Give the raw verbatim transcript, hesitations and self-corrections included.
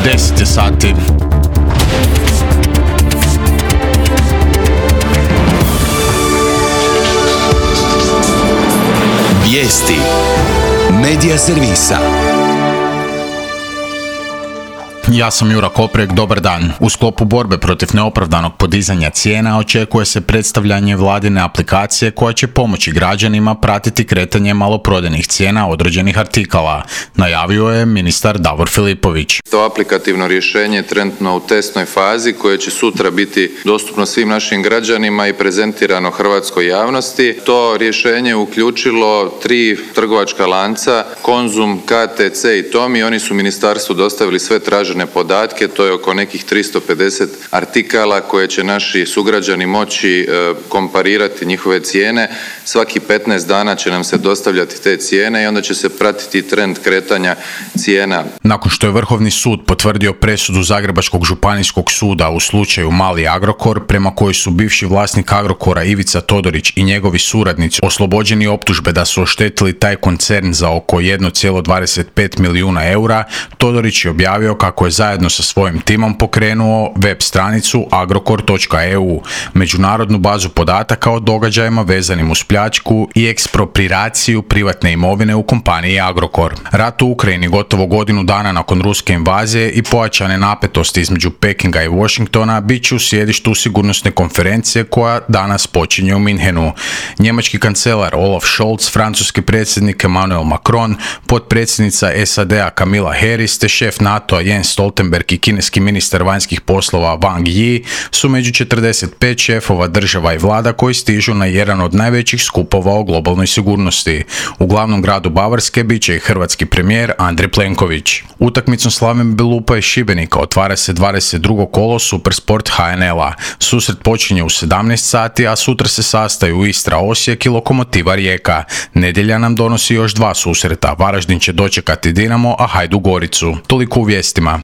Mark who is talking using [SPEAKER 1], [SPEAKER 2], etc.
[SPEAKER 1] deset je sati.
[SPEAKER 2] Vijesti Medija servisa.
[SPEAKER 1] Ja sam Jura Koprek, dobar dan. U sklopu borbe protiv neopravdanog podizanja cijena očekuje se predstavljanje vladine aplikacije koja će pomoći građanima pratiti kretanje maloprodajnih cijena određenih artikala, najavio je ministar Davor Filipović.
[SPEAKER 3] To aplikativno rješenje je trenutno u testnoj fazi koje će sutra biti dostupno svim našim građanima i prezentirano hrvatskoj javnosti. To rješenje je uključilo tri trgovačka lanca, Konzum, K T C i Tomi. Oni su ministarstvu dostavili sve tražene podatke, to je oko nekih tristo pedeset artikala koje će naši sugrađani moći e, komparirati njihove cijene. Svaki petnaest dana će nam se dostavljati te cijene i onda će se pratiti trend kretanja cijena.
[SPEAKER 1] Nakon što je Vrhovni sud potvrdio presudu Zagrebačkog županijskog suda u slučaju Mali Agrokor, prema kojoj su bivši vlasnik Agrokora Ivica Todorić i njegovi suradnici oslobođeni optužbe da su oštetili taj koncern za oko jedan zarez dvadeset pet milijuna eura, Todorić je objavio kako je zajedno sa svojim timom pokrenuo web stranicu agrokor točka e u, međunarodnu bazu podataka o događajima vezanim uz pljačku i ekspropriaciju privatne imovine u kompaniji Agrokor. Rat u Ukrajini gotovo godinu dana nakon ruske invazije i pojačane napetosti između Pekinga i Washingtona bit će u sjedištu sigurnosne konferencije koja danas počinje u Minhenu. Njemački kancelar Olaf Scholz, francuski predsjednik Emmanuel Macron, potpredsjednica S A D-a Kamala Harris te šef NATO-a Jens Stoltenberg i kineski ministar vanjskih poslova Wang Yi su među četrdeset pet šefova država i vlada koji stižu na jedan od najvećih skupova o globalnoj sigurnosti. U glavnom gradu Bavarske bit će i hrvatski premijer Andrej Plenković. Utakmicom Slaven Belupa i Šibenika otvara se dvadeset drugo kolo Supersport H N L-a. Susret počinje u sedamnaest sati, a sutra se sastaju Istra Osijek i Lokomotiva Rijeka. Nedjelja nam donosi još dva susreta. Varaždin će dočekati Dinamo, a Hajduk Goricu. Toliko u vijestima.